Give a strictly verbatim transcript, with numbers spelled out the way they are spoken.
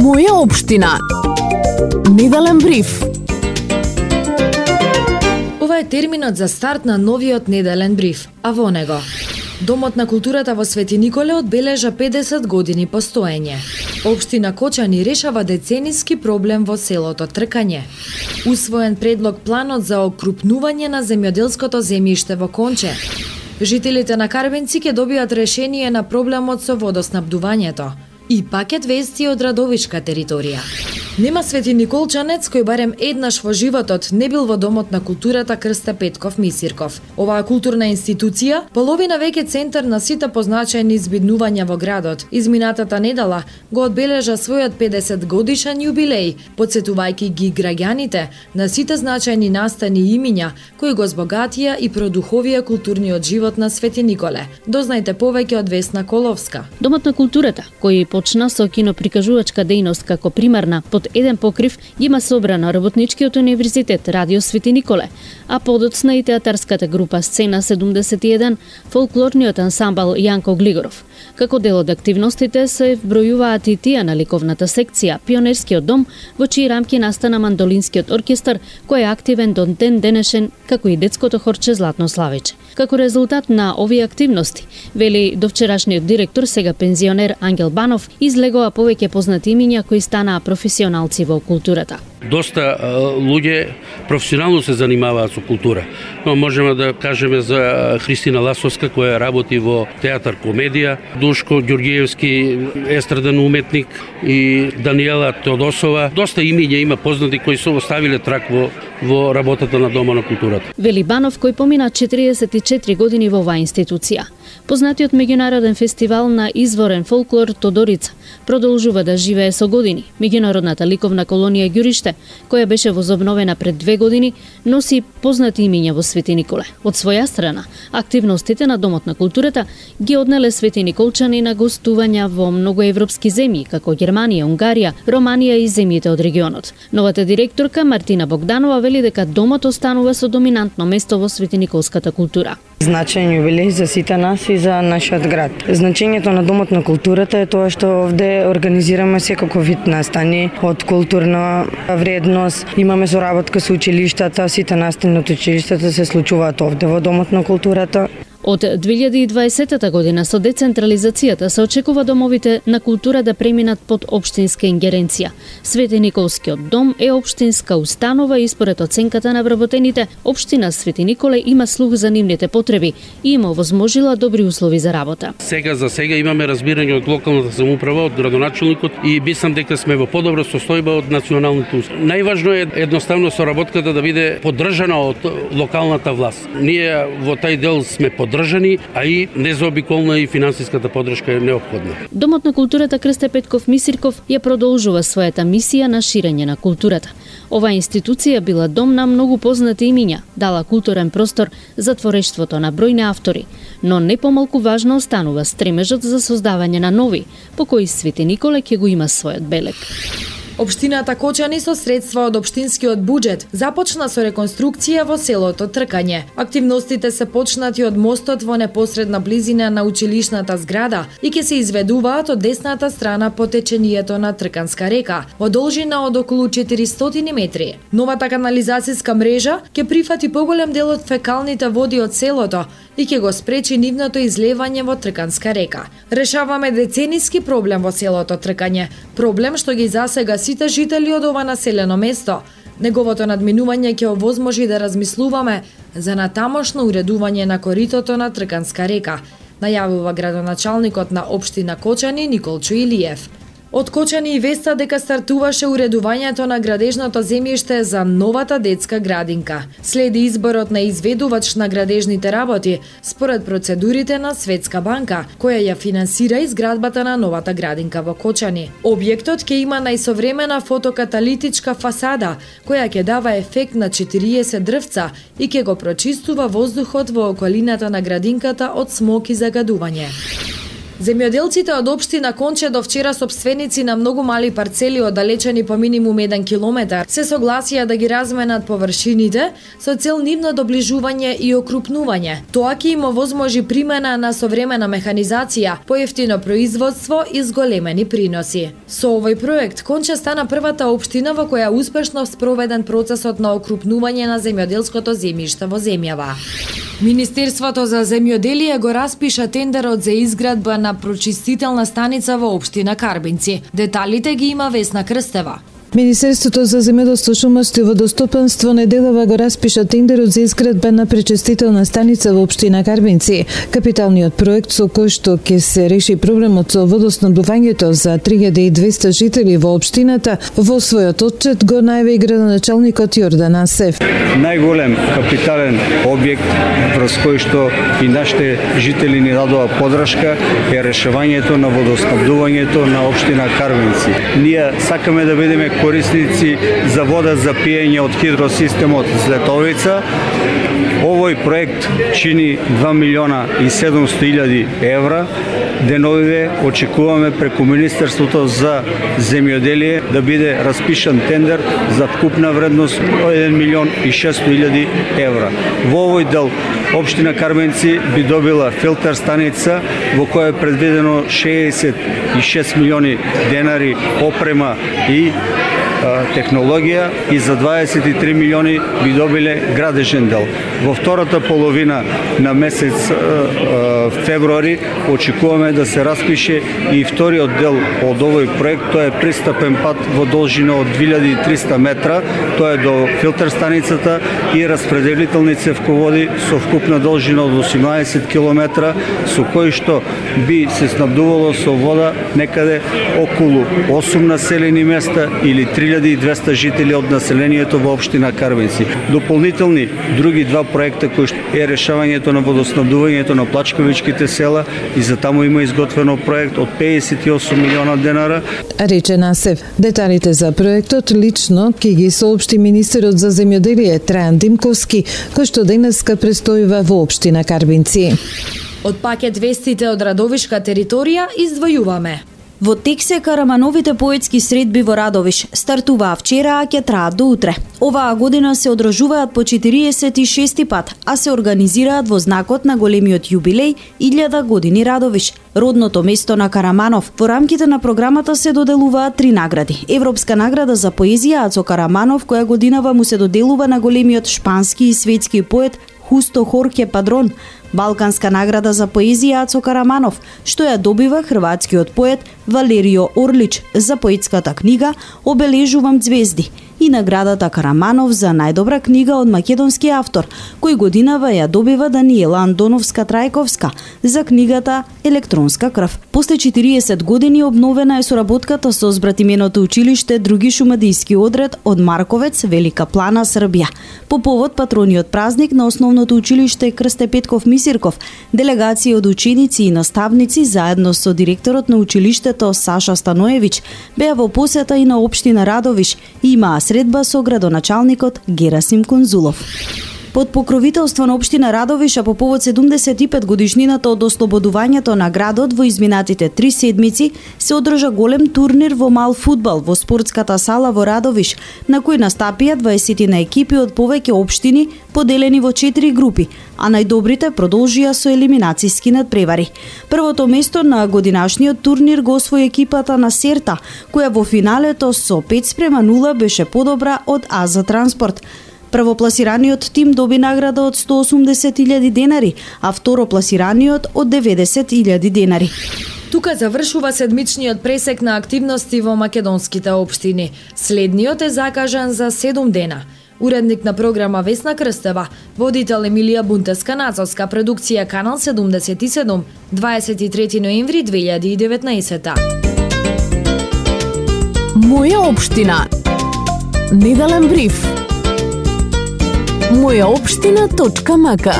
Моја општина. Неделен бриф. Ова е терминот за старт на новиот неделен бриф, а во него Домот на културата во Свети Николе одбележа педесет години постоење. Општина Кочани решава децениски проблем во селото Тркање. Усвоен предлог планот за окрупнување на земјоделското земјиште во Конче. Жителите на Карвенци ќе добијат решение на проблемот со водоснабдувањето. И пакет вести од Радовишка територија. Нема Свети Николчанец кој барем еднаш во животот не бил во Домот на културата Крсте Петков Мисирков. Оваа културна институција половина веќе центар на сите позначајни збиднувања во градот. Изминатата недела го одбележа својот педесет годишен јубилеј, потсетувајќи ги граѓаните на сите значајни настани и имиња кои го збогатија и продуховија културниот живот на Свети Николе. Дознајте повеќе од Весна Коловска. Домот на културата, кој почна со киноприкажувачка дејност како примарна, под еден покрив има собрано Работничкиот универзитет Радио Свети Николе, а подоцна и театарската група Сцена седумдесет и еден, фолклорниот ансамбл Јанко Глигоров. Како дел од активностите се вбројуваат и тие на ликовната секција Пионерскиот дом, во чии рамки настана мандолинскиот оркестар, кој е активен до ден денешен, како и детското хорче Златно Славиче. Како резултат на овие активности, вели довчерашниот директор, сега пензионер Ангел Банов, излегоа повеќе познати имиња кои станаа професионалци во културата. Доста луѓе професионално се занимаваат со култура. Но можеме да кажеме за Христина Ласовска која работи во театар комедија, Душко Ѓорѓиевски естраден уметник и Даниела Теодосова. Доста имиња има познати кои се оставиле трак во во работата на Дома на културата. Вели Банов, кој помина четириесет и четири години во оваа институција. Познатиот меѓународен фестивал на изворен фолклор Тодорица продолжува да живее со години. Меѓународната ликовна колонија Ѓуриште, која беше возобновена пред две години, носи познати имиња во Свети Николе. Од своја страна, активностите на Домот на културата ги однеле Свети Николчани на гостувања во многу европски земји, како Германија, Унгарија, Романија и земјите од регионот. Новата директорка Мартина Богданова вели дека домот останува со доминантно место во Свети Николската култура. Значајен јубилеј за сите нас и за нашиот град. Значењето на Домот на културата е тоа што овде организираме секако вид настани од културна вредност. Имаме соработка со училиштата, сите настани од училиштата се случуваат овде во Домот на културата. Од две илјади и дваесета година со децентрализацијата се очекува домовите на култура да преминат под општинска ингеренција. Свети Николскиот дом е општинска установа и според оценката на вработените, општина Свети Николе има слух за нивните потреби и има возможила добри услови за работа. Сега за сега имаме разбирање од локалната самоуправа, од градоначелникот и мислам дека сме во подобра состојба од националните услови. Најважно е едноставно соработката да биде поддржана од локалната власт. Ние во тај дел сме поддржани, а и незаобиколна и финансиската поддршка е неопходна. Домот на културата Крсте Петков Мисирков ја продолжува својата мисија на ширење на културата. Оваа институција била дом на многу познати имиња, дала културен простор за творештвото на бројни автори, но не помалку важно останува стремежот за создавање на нови, по кои Свети Николе ќе го има својот белег. Општината Кочани со средства од општинскиот буџет започна со реконструкција во селото Тркање. Активностите се почнати од мостот во непосредна близина на училишната зграда и ќе се изведуваат од десната страна по течението на Трканска река, во должина од околу четиристотини метри. Новата канализацијска мрежа ќе прифати поголем дел од фекалните води од селото и ќе го спречи нивното излевање во Трканска река. Решаваме децениски проблем во селото Тркање, проблем што ги засега сите жители од ова населено место. Неговото надминување ќе овозможи да размислуваме за натамошно уредување на коритото на Трканска река, најавува градоначалникот на општина Кочани Николчо Илиев. Од Кочани и веста дека стартуваше уредувањето на градежното земјиште за новата детска градинка. Следи изборот на изведувач на градежните работи според процедурите на Светска банка, која ја финансира изградбата на новата градинка во Кочани. Објектот ќе има најсовремена фотокаталитичка фасада, која ќе дава ефект на четириесет дрвца и ќе го прочистува воздухот во околината на градинката од смог и загадување. Земјоделците од општина Конче до вчера собственици на многу мали парцели оддалечени по минимум еден километар се согласија да ги разменат површините со цел нивно доближување и окрупнување. Тоа ќе им овозможи примена на современа механизација, поевтино производство и зголемени приноси. Со овој проект Конче стана првата општина во која успешно спроведен процесот на окрупнување на земјоделското земјиште во земјава. Министерството за земјоделие го распиша тендерот за изградба на прочистителна станица во општина Карбинци. Деталите ги има Весна Крстева. Министерството за земјоделство, шумарство и водостопанство неделава го распиша тендерот за изградба на пречистителна станица во општина Карбинци. Капиталниот проект со кој што ќе се реши проблемот со водоснабдувањето за три илјади и двесте жители во општината, во својот отчет го најави и градоначалникот Јордан Асев. Најголем капитален објект врз кој што и нашите жители ни дадоа подршка е решавањето на водоснабдувањето на општина Карбинци. Ние сакаме да бидеме корисници за вода за пиење од хидросистемот Злетовица. Овој проект чини два милиона и седумсто илјади евра. Деновиве очекуваме преку Министерството за земјоделие да биде распишан тендер за вкупна вредност еден милион и шестстотини илјади евра. Во овој дел општина Карбинци би добила филтер станица во која е предвидено шеесет и шест милиони денари опрема и технологија и за дваесет и три милиони би добиле градежен дел. Во втората половина на месец февруари очекуваме да се распише и вториот дел од овој проект. Тоа е пристапен пат во должина од две илјади и триста метра. Тоа е до филтер станицата и распределителни цевководи со вкупна должина од осумнаесет километра, со кои што би се снабдувало со вода некаде околу осум населени места или три илјади и двесте жители од населението во општина Карбинци. Дополнителни други два проекта кои е решавањето на водоснабдувањето на плачкавичките села и за таму има изготвено проект од педесет и осум милиона денара. Рече Насев, деталите за проектот лично ќе ги соопшти министерот за земјоделие Трајан Димковски, кој што денеска престојува во општина Карбинци. Од пакет вестите од Радовишка територија издвојуваме. Во тек се Карамановите поетски средби во Радовиш стартуваа вчера, а ќе траат до утре. Оваа година се одржуваат по четириесет и шести пат, а се организираат во знакот на големиот јубилеј илјада години Радовиш, родното место на Караманов. Во рамките на програмата се доделуваат три награди. Европска награда за поезија Ацо Караманов, која годинава му се доделува на големиот шпански и светски поет Хусто Хорхе Падрон. Балканска награда за поезија Ацо Караманов, што ја добива хрватскиот поет Валерио Орлич за поетската книга Обележувам ѕвезди, и наградата Караманов за најдобра книга од македонски автор, кој годинава ја добива Даниела Андоновска-Трајковска за книгата Електронска крв. После четириесет години обновена е соработката со збратименото училиште Други шумадијски одред од Марковец, Велика Плана, Србија. По повод патрониот празник на основното училиште Крсте Петков Мисирков, делегација од ученици и наставници заедно со директорот на училиштето Саша Станоевиќ беа во посета и на општина Радовиш и имаа средба со градоначалникот Герасим Конзулов. Под покровителство на општина Радовиш, а по повод седумдесет и пет годишнината од ослободувањето на градот во изминатите три седмици, се одржа голем турнир во мал фудбал во спортската сала во Радовиш, на кој настапија дваесет на екипи од повеќе општини, поделени во четири групи, а најдобрите продолжија со елиминацијски надпревари. Првото место на годинашниот турнир го освои екипата на Серта, која во финалето со пет спрема нула беше подобра од Аза Транспорт. Првопласираниот тим доби награда од сто осумдесет илјади денари, а второпласираниот од деветдесет илјади денари. Тука завршува седмичниот пресек на активности во македонските општини. Следниот е закажан за седум дена. Уредник на програма Весна Крстева, водител Емилија Бунтеска-Нацовска, продукција Канал седумдесет и седум, дваесет и трети ноември две илјади и деветнаесета. Моја општина. Неделен бриф. моја општина точка мака